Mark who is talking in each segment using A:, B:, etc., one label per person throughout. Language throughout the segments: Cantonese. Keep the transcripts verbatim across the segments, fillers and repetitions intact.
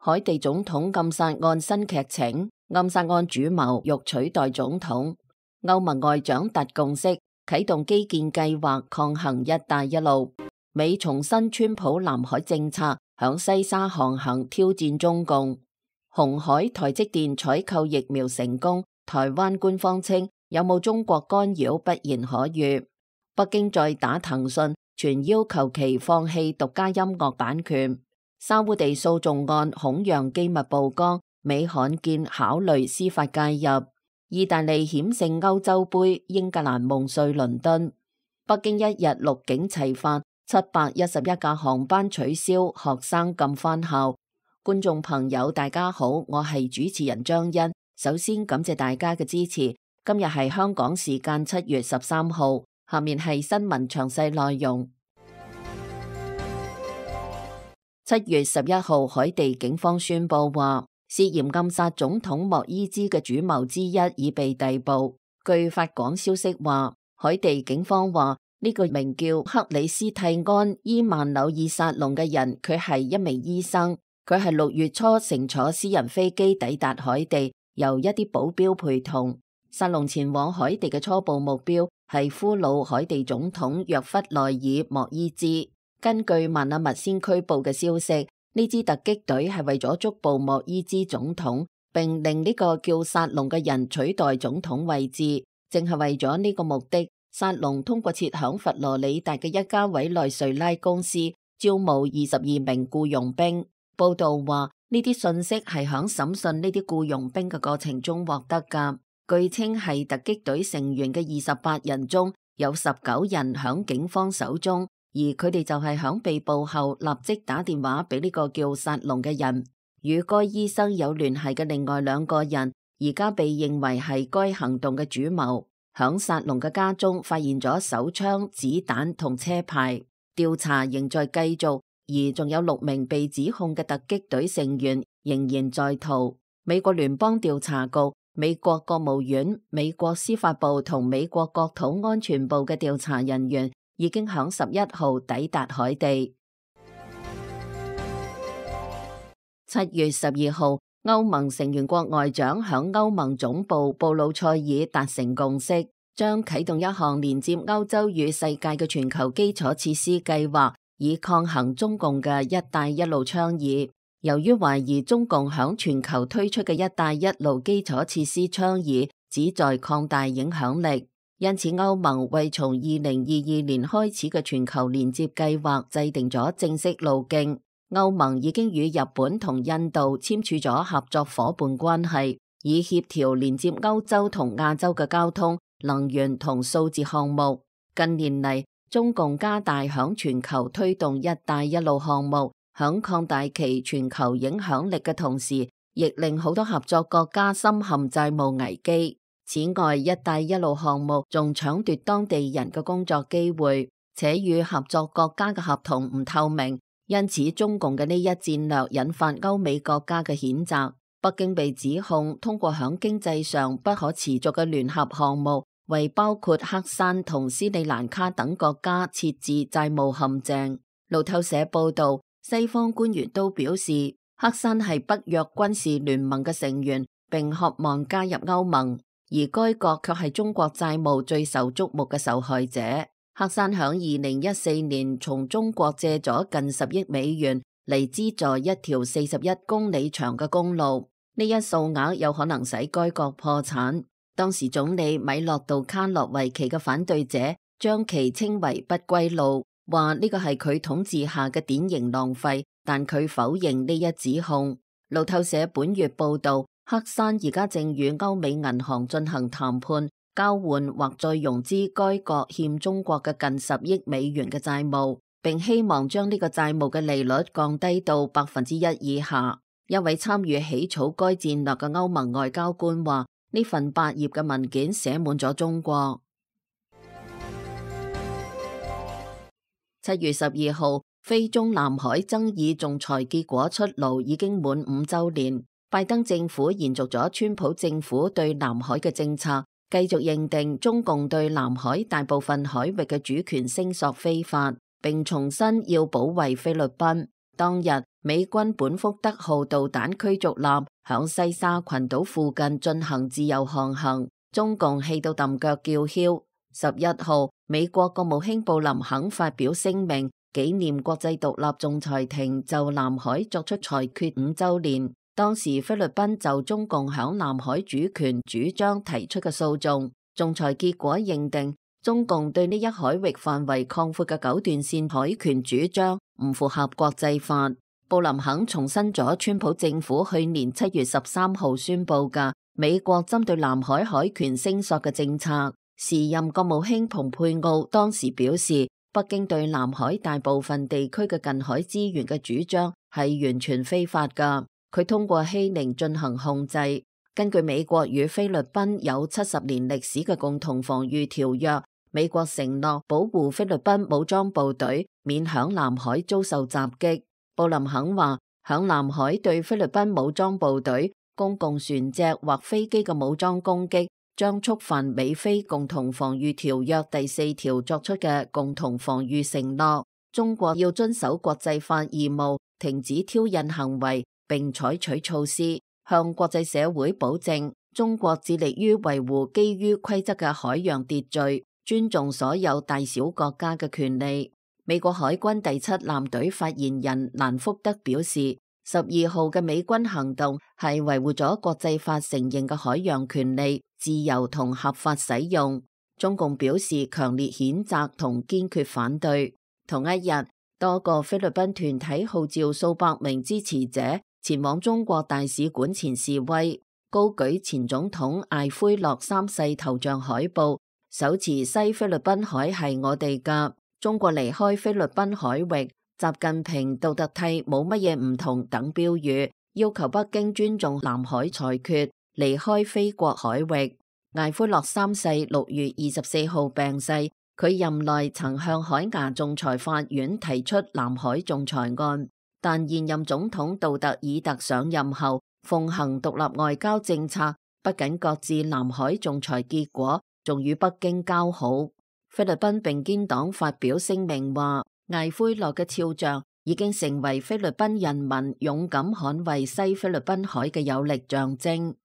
A: 海地總統暗殺案新劇情，暗殺案主謀欲取代總統。歐盟外長達共識，啟動基建計劃抗衡一帶一路。美重申川普南海政策，響西沙航行挑戰中共。鴻海台積電採購疫苗成功，台灣官方稱有冇中國干擾不言可喻。北京再打騰訊，傳要求其放棄獨家音樂版權。沙烏地訴訟案恐讓機密曝光，美罕見考慮司法介入。意大利險勝歐洲盃，英格蘭夢碎倫敦。北京一日陸警齊發，七百一十一架航班取消，學生禁返校。觀眾朋友大家好，我係主持人張欣。首先感謝大家嘅支持。今日係香港時間七月十三號，下面係新聞詳細內容。七月十一號，海地警方宣布話，涉嫌暗殺總統莫伊茲嘅主謀之一已被逮捕。據法廣消息話，海地警方話呢個名叫克里斯蒂安伊曼紐爾薩隆嘅人，佢係一名醫生，佢係六月初乘坐私人飛機抵達海地，由一啲保鏢陪同。薩隆前往海地嘅初步目標係俘虜海地總統約弗內爾莫伊茲。根據曼阿密先驅報嘅消息，呢支突擊隊係為咗捉捕莫伊茲總統，並令呢個叫薩隆嘅人取代總統位置。正係為咗呢個目的，薩隆通過設響佛羅里達嘅一家委內瑞拉公司招募二十二名僱傭兵。報道話呢啲信息係響審訊呢啲僱傭兵嘅過程中獲得噶。據稱係突擊隊成員嘅二十八人中有十九人響警方手中。而佢哋就係響被捕後立即打電話俾呢個叫薩隆嘅人。與該醫生有聯繫嘅另外兩個人，而家被認為係該行動嘅主謀。響薩隆嘅家中發現咗手槍、子彈同車牌。調查仍在繼續，而仲有六名被指控嘅突擊隊成員仍然在逃。美國聯邦調查局、美國國務院、美國司法部同美國國土安全部嘅調查人員已經響十一號抵達海地。七月十二號，歐盟成員國外長響歐盟總部布魯塞爾達成共識，將啟動一項連接歐洲與世界嘅全球基礎設施計劃，以抗衡中共嘅一帶一路倡議。由於懷疑中共響全球推出嘅一帶一路基礎設施倡議旨在擴大影響力，因此，歐盟為從二零二二年開始嘅全球連接計劃制定咗正式路徑。歐盟已經與日本同印度簽署咗合作夥伴關係，以協調連接歐洲同亞洲嘅交通、能源同數字項目。近年嚟，中共加大響全球推動一帶一路項目，響擴大其全球影響力嘅同時，亦令好多合作國家深陷債務危機。此外，一帶一路項目仲搶奪當地人嘅工作機會，且與合作國家嘅合同唔透明，因此中共嘅呢一戰略引發歐美國家嘅譴責。北京被指控通過響經濟上不可持續嘅聯合項目，為包括黑山同斯里蘭卡等國家設置債務陷阱。路透社報道，西方官員都表示，黑山係北約軍事聯盟嘅成員，並渴望加入歐盟。而該國卻係中國債務最受矚目嘅受害者。黑山響二零一四年從中國借咗近十億美元嚟資助一條四十一公里長嘅公路，呢一數額有可能使該國破產。當時總理米洛杜卡洛維奇嘅反對者將其稱為不歸路，話呢個係佢統治下嘅典型浪費，但佢否認呢一指控。路透社本月報道，黑山而家正與歐美銀行進行談判，交換或再融資該國欠中國嘅近十億美元嘅債務，並希望將呢個債務嘅利率降低到百分之一以下。一位參與起草該戰略嘅歐盟外交官話：呢份八頁嘅文件寫滿咗中國。七月十二號，非中南海爭議仲裁結果出爐，已經滿五周年。拜登政府延續咗川普政府對南海嘅政策，繼續認定中共對南海大部分海域嘅主權聲索非法，並重申要保衛菲律賓。當日，美軍本福德號導彈驅逐艦響西沙群島附近進行自由航行，中共氣到揼腳叫囂。十一號，美國國務卿布林肯發表聲明，紀念國際獨立仲裁庭就南海作出裁決五週年。當時菲律賓就中共響南海主權主張提出嘅訴訟，仲裁結果認定中共對呢一海域範圍擴闊嘅九段線海權主張唔符合國際法。布林肯重申咗川普政府去年七月十三號宣布嘅美國針對南海海權聲索嘅政策。時任國務卿蓬佩奧當時表示，北京對南海大部分地區嘅近海資源嘅主張係完全非法㗎。佢通過欺凌進行控制。根據美國與菲律賓有七十年歷史嘅共同防禦條約，美國承諾保護菲律賓武裝部隊免響南海遭受襲擊。布林肯話，響南海對菲律賓武裝部隊、公共船隻或飛機嘅武裝攻擊，將觸犯美菲共同防禦條約第四條作出嘅共同防禦承諾。中國要遵守國際法義務，停止挑釁行為，並採取措施，向國際社會保證，中國致力於維護基於規則嘅海洋秩序，尊重所有大小國家嘅權利。美國海軍第七艦隊發言人蘭福德表示，十二號嘅美軍行動係維護咗國際法承認嘅海洋權利、自由同合法使用。中共表示強烈譴責同堅決反對。同一日，多個菲律賓團體號召數百名支持者前往中國大使館前示威，高舉前總統艾奎諾三世頭像海報，手持西菲律賓海係我哋嘅，中國離開菲律賓海域，習近平、杜特蒂冇乜嘢唔同等標語，要求北京尊重南海裁決，離開菲國海域。艾奎諾三世六月二十四號病逝，佢任內曾向海牙仲裁法院提出南海仲裁案。但現任總統杜特爾特上任後，奉行獨立外交政策，不僅擱置南海仲裁結果，仲與北京交好。菲律賓並肩黨發表聲明話，艾奎諾嘅肖像已經成為菲律賓人民勇敢捍衛西菲律賓海嘅有力象徵。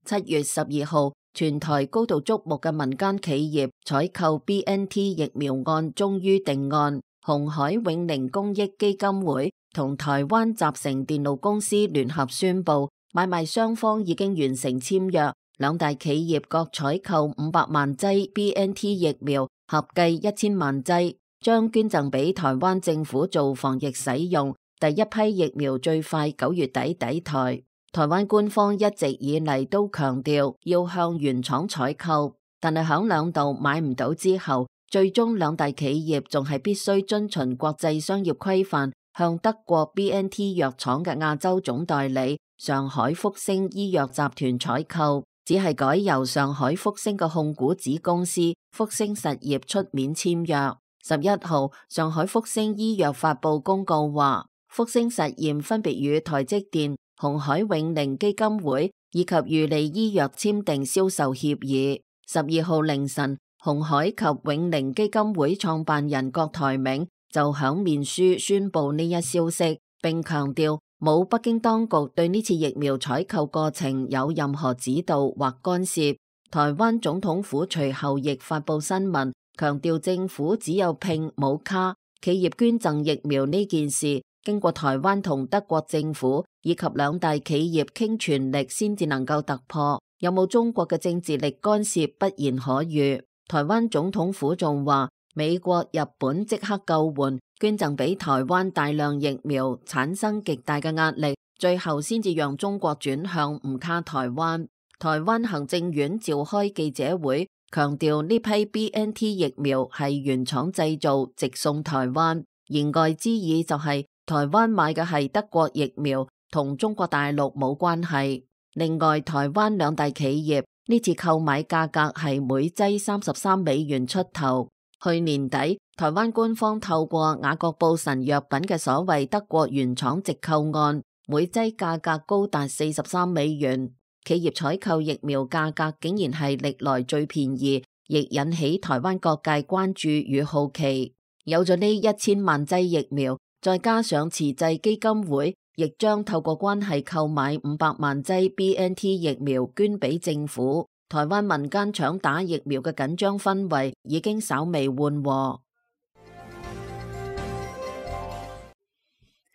A: 七月十二號，全台高度矚目嘅民間企業採購 B N T 疫苗案終於定案。鴻海永寧公益基金會同台灣集成電路公司聯合宣布，買賣雙方已經完成簽約，兩大企業各採購五百萬劑 B N T 疫苗，合計一千萬劑，將捐贈俾台灣政府做防疫使用。第一批疫苗最快九月底抵台。台灣官方一直以嚟都強調要向原廠採購，但係響兩度買唔到之後，最終兩大企業仲係必須遵循國際商業規範，向德國 B N T 藥廠嘅亞洲總代理上海福星醫藥集團採購，只係改由上海福星嘅控股子公司福星實業出面簽約。十一號，上海福星醫藥發布公告話，福星實驗分別與台積電、鴻海永寧基金會以及裕利醫藥簽訂銷售協議。十二號凌晨，鴻海及永寧基金會創辦人郭台銘就響面書宣布呢一消息，並強調冇北京當局對呢次疫苗採購過程有任何指導或干涉。台灣總統府隨後亦發布新聞，強調政府只有拼冇卡，企業捐贈疫苗呢件事經過台灣同德國政府以及兩大企業傾全力先至能夠突破，有冇中國嘅政治力干涉不言可喻。台灣總統府仲話，美國、日本即刻救援，捐贈俾台灣大量疫苗，產生極大嘅壓力，最後先至讓中國轉向唔卡台灣。台灣行政院召開記者會，強調呢批 B N T 疫苗係原廠製造，直送台灣。言外之意就係、是、台灣買嘅係德國疫苗，同中國大陸冇關係。另外，台灣兩大企業呢次購買價格係每劑三十三美元出頭。去年底，台灣官方透過雅各布神藥品嘅所謂德國原廠直購案，每劑價格高達四十三美元。企業採購疫苗價格竟然係歷來最便宜，亦引起台灣各界關注與好奇。有咗呢一千萬劑疫苗，再加上慈濟基金會亦將透過關係購買五百萬劑 B N T 疫苗捐俾政府，台灣民間搶打疫苗嘅緊張氛圍已經稍微緩和。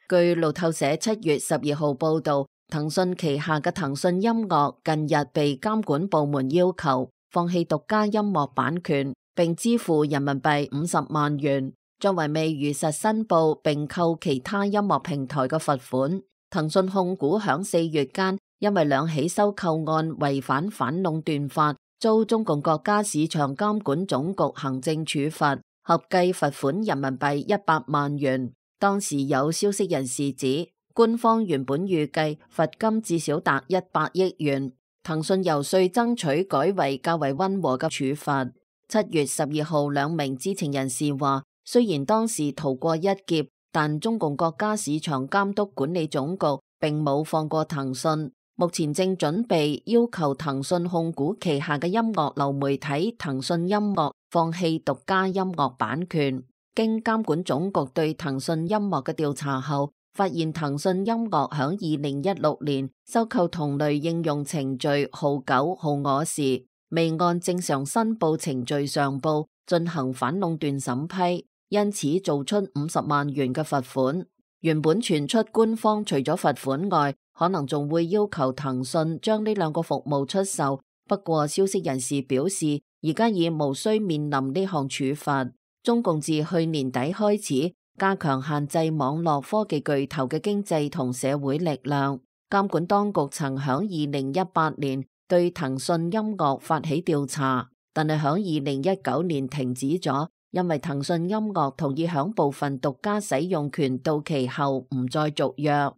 A: 據路透社七月十二號報道，騰訊旗下嘅騰訊音樂近日被監管部門要求放棄獨家音樂版權，並支付人民幣五十萬元，作為未如實申報並扣其他音樂平台嘅罰款。騰訊控股響四月間因為兩起收購案違反反壟斷法，遭中共國家市場監管總局行政處罰，合計罰款人民幣一百萬元。當時有消息人士指，官方原本預計罰金至少達一百億元，騰訊遊說爭取改為較為溫和嘅處罰。七月十二號，兩名知情人士話，雖然當時逃過一劫，但中共國家市場監督管理總局並冇放過騰訊，目前正準備要求騰訊控股旗下嘅音樂流媒體騰訊音樂放棄獨家音樂版權。經監管總局對騰訊音樂嘅調查後，發現騰訊音樂響二零一六年收購同類應用程序號九號我時，未按正常申報程序上報進行反壟斷審批，因此做出五十萬元嘅罰款。原本傳出官方除咗罰款外，可能仲會要求騰訊將呢兩個服務出售。不過消息人士表示，而家已無需面臨呢項處罰。中共自去年底開始加強限制網絡科技巨頭嘅經濟同社會力量。監管當局曾響二零一八年對騰訊音樂發起調查，但係響二零一九年停止咗，因為騰訊音樂同意響部分獨家使用權到期後唔再續約。然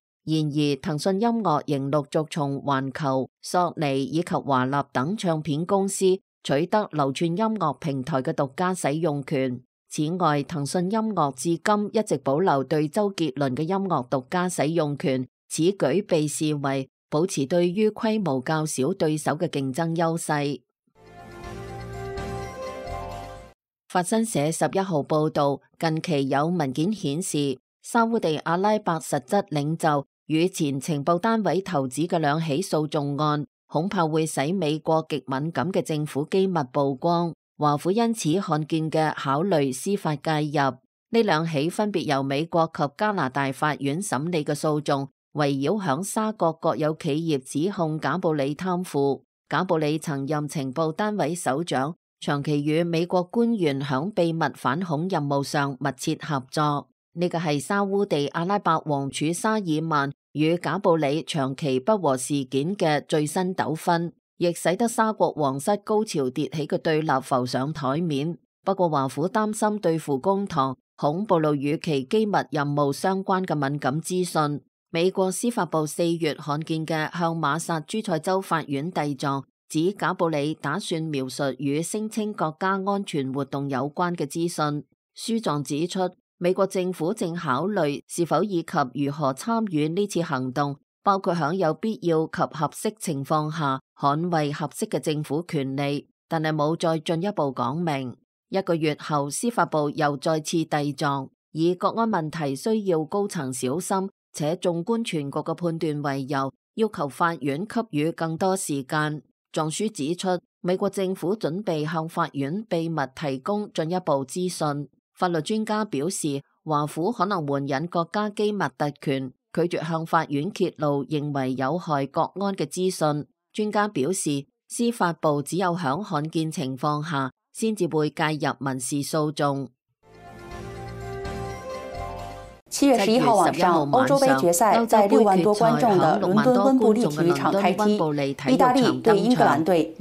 A: 而，騰訊音樂仍陸續從環球、索尼以及華納等唱片公司取得流串音樂平台嘅獨家使用權。此外，騰訊音樂至今一直保留對周杰倫嘅音樂獨家使用權，此舉被視為保持對於規模較小對手嘅競爭優勢。法新社十一號報道，近期有文件顯示，沙烏地阿拉伯實質領袖與前情報單位頭子嘅兩起訴訟案，恐怕會使美國極敏感嘅政府機密曝光。華府因此罕見嘅考慮司法介入。呢兩起分別由美國及加拿大法院審理嘅訴訟，圍繞響沙國國有企業指控賈布里貪腐。賈布里曾任情報單位首長，長期與美國官員響秘密反恐任務上密切合作。呢個係沙烏地阿拉伯王儲沙爾曼與賈布里長期不和事件嘅最新糾紛，亦使得沙國皇室高潮迭起嘅對立浮上台面。不過華府擔心對付公堂，恐暴露與其機密任務相關嘅敏感資訊。美國司法部四月罕見嘅向馬薩諸塞州法院遞狀，指賈布里打算描述與聲稱國家安全活動有關嘅資訊。書狀指出，美國政府正考慮是否以及如何參與呢次行動，包括喺有必要及合適情況下捍衛合適嘅政府權利，但係冇再進一步講明。一個月後，司法部又再次遞狀，以國安問題需要高層小心且縱觀全局嘅判斷為由，要求法院給予更多時間。狀書指出，美國政府準備向法院秘密提供進一步資訊。法律專家表示，華府可能援引國家機密特權，拒絕向法院揭露認為有害國安嘅資訊。專家表示，司法部只有響罕見情況下先至會介入民事訴訟。
B: 七月十一號晚上，歐洲杯決賽在六萬多觀眾的倫敦溫布利體育場開踢，意大利對英格蘭隊，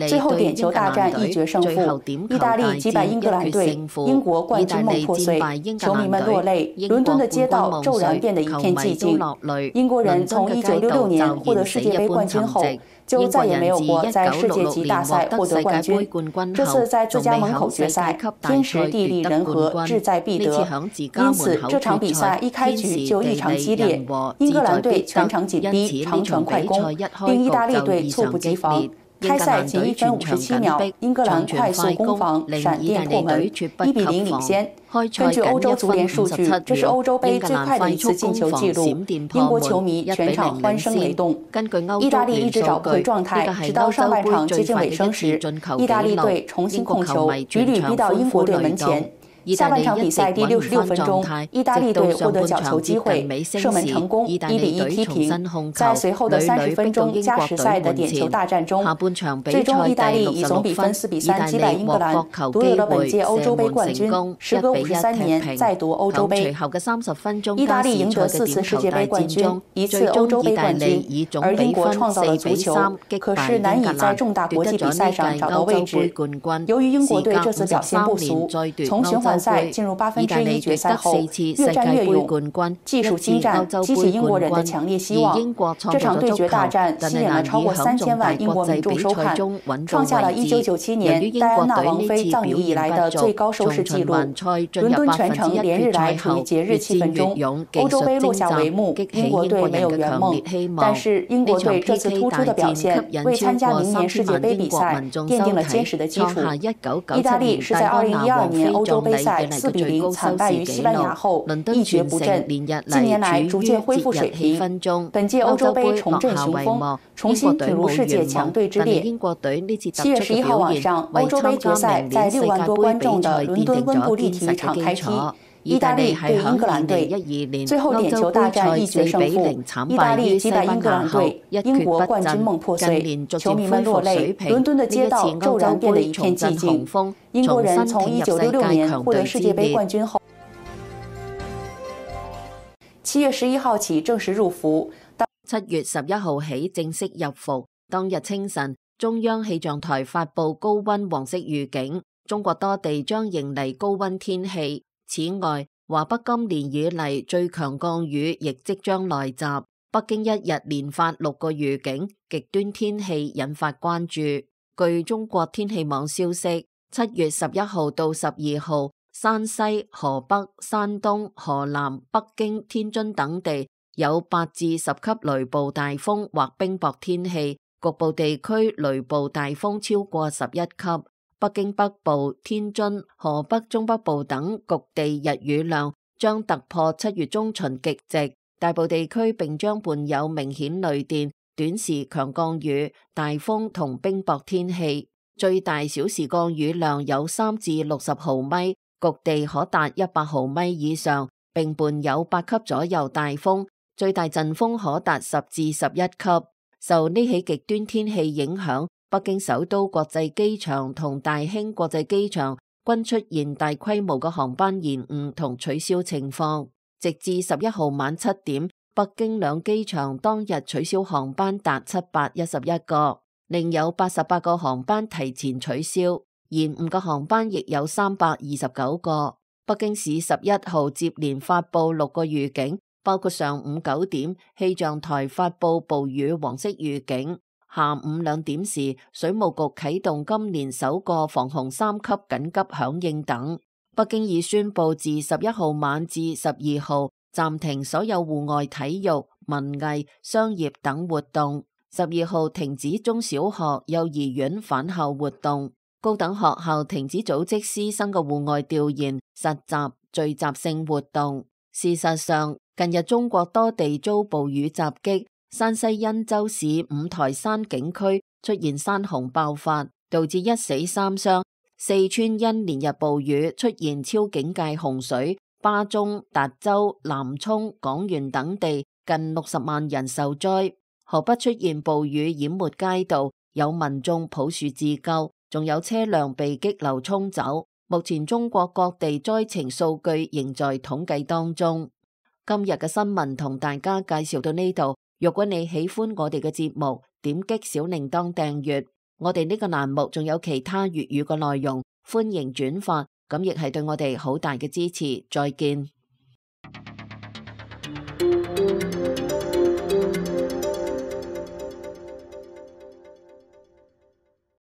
B: 最後點球大戰一決勝負，意大利擊敗英格蘭隊，英國冠軍夢破碎，球迷們落淚，倫敦的街道驟然變得一片寂靜。英國人從一九六六年獲得世界盃冠軍後，就再也沒有過在世界級大賽獲得冠軍。這次在自家門口決賽，天時地利人和，志在必得。因此這場比賽一開局就異常激烈，英格蘭隊全場緊逼，長傳快攻，令意大利隊猝不及防。開賽僅一分五十七秒，英格蘭快速攻防閃電破門，一比零領先。根據歐洲足聯數據，這是歐洲杯最快的一次進球紀錄，英國球迷全場歡聲雷動。意大利一直找不回狀態，直到上半場接近尾聲時，意大利隊重新控球，屢屢逼到英國隊門前。下半場比賽第六十六分鐘，意大利隊獲得角球機會，射門成功，一比一踢平。在隨後的三十分鐘加時賽的點球大戰中，最終意大利以總比分四比三擊敗英格蘭，奪得了本屆歐洲杯冠軍。時隔五十三年再奪歐洲杯。意大利贏得四次世界杯冠軍，一次歐洲杯冠軍，而英國創造了足球，可是難以在重大國際比賽上找到位置。由於英國隊這次表現不俗，從循環賽進入八分之一決賽後，越戰越勇，技術精湛，激起英國人的強烈希望。這場對決大戰吸引了超過三千萬英國民眾收看，創下了一九九七年戴安娜王妃葬禮以來的最高收視紀錄。倫敦全城連日來處於節日氣氛中，歐洲杯落下帷幕，英國隊沒有圓夢，但是英國隊這次突出的表現，為參加明年世界杯比賽奠定了堅實的基礎。意大利是在二零一二年歐洲杯賽四比零慘敗於西班牙後一蹶不振，近年來逐漸恢復水平。本屆歐洲杯重振雄風，重新進入世界強隊之列。七月十一號晚上，歐洲杯決賽在六萬多觀眾的倫敦溫布利體育場開踢，意大利對英格蘭隊，最後點球大戰一決勝負，意大利擊敗英格蘭隊，英國冠軍夢破碎，球迷們落淚，倫敦的街道驟然變得一片寂靜。英國人從一九六六年獲得世界杯冠軍後，七月十一號起正式入伏。
A: 七月十一號起正式入伏。當日清晨，中央氣象台發布高溫黃色預警，中國多地將迎嚟高溫天氣。此外，華北今年以嚟最強降雨亦即將來襲。北京一日連發六個預警，極端天氣引發關注。據中國天氣網消息，七月十一號到十二號，山西、河北、山東、河南、北京、天津等地有八至十級雷暴大風或冰雹天氣，局部地區雷暴大風超過十一級。北京北部、天津、河北中北部等局地日雨量將突破七月中旬極值，大部地區並將伴有明顯雷電、短時強降雨、大風同冰雹天氣。最大小時降雨量有三至六十毫米，局地可達一百毫米以上，並伴有八級左右大風，最大陣風可達十至十一級。受呢起極端天氣影響，北京首都國際機場同大興國際機場均出現大規模嘅航班延誤同取消情況。直至十一號晚七點，北京兩機場當日取消航班達七百一十一個。另有八十八個航班提前取消，延誤嘅航班亦有三百二十九個。北京市十一號接連發布六個預警，包括上午九點氣象台發布暴雨黃色預警，下午兩點時水務局啟動今年首個防洪三級緊急響應等。北京已宣布自十一號晚至十二號暫停所有戶外體育、文藝、商業等活動。十二號停止中小學、幼兒園返校活動，高等學校停止組織師生嘅戶外調研、實習、聚集性活動。事實上，近日中國多地遭暴雨襲擊，山西忻州市五台山景區出現山洪爆發，導致一死三傷。四川因連日暴雨出現超警戒洪水，巴中、達州、南充、廣元等地近六十萬人受災。河北出現暴雨淹沒街道，有民眾抱樹自救，仲有車輛被激流沖走。目前中國各地災情數據仍在統計當中。今日嘅新聞同大家介紹到呢度。如果你喜歡我哋嘅節目，點擊小鈴鐺訂閱。我哋呢個欄目仲有其他粵語嘅內容，歡迎轉發，咁亦係對我哋好大嘅支持。再見。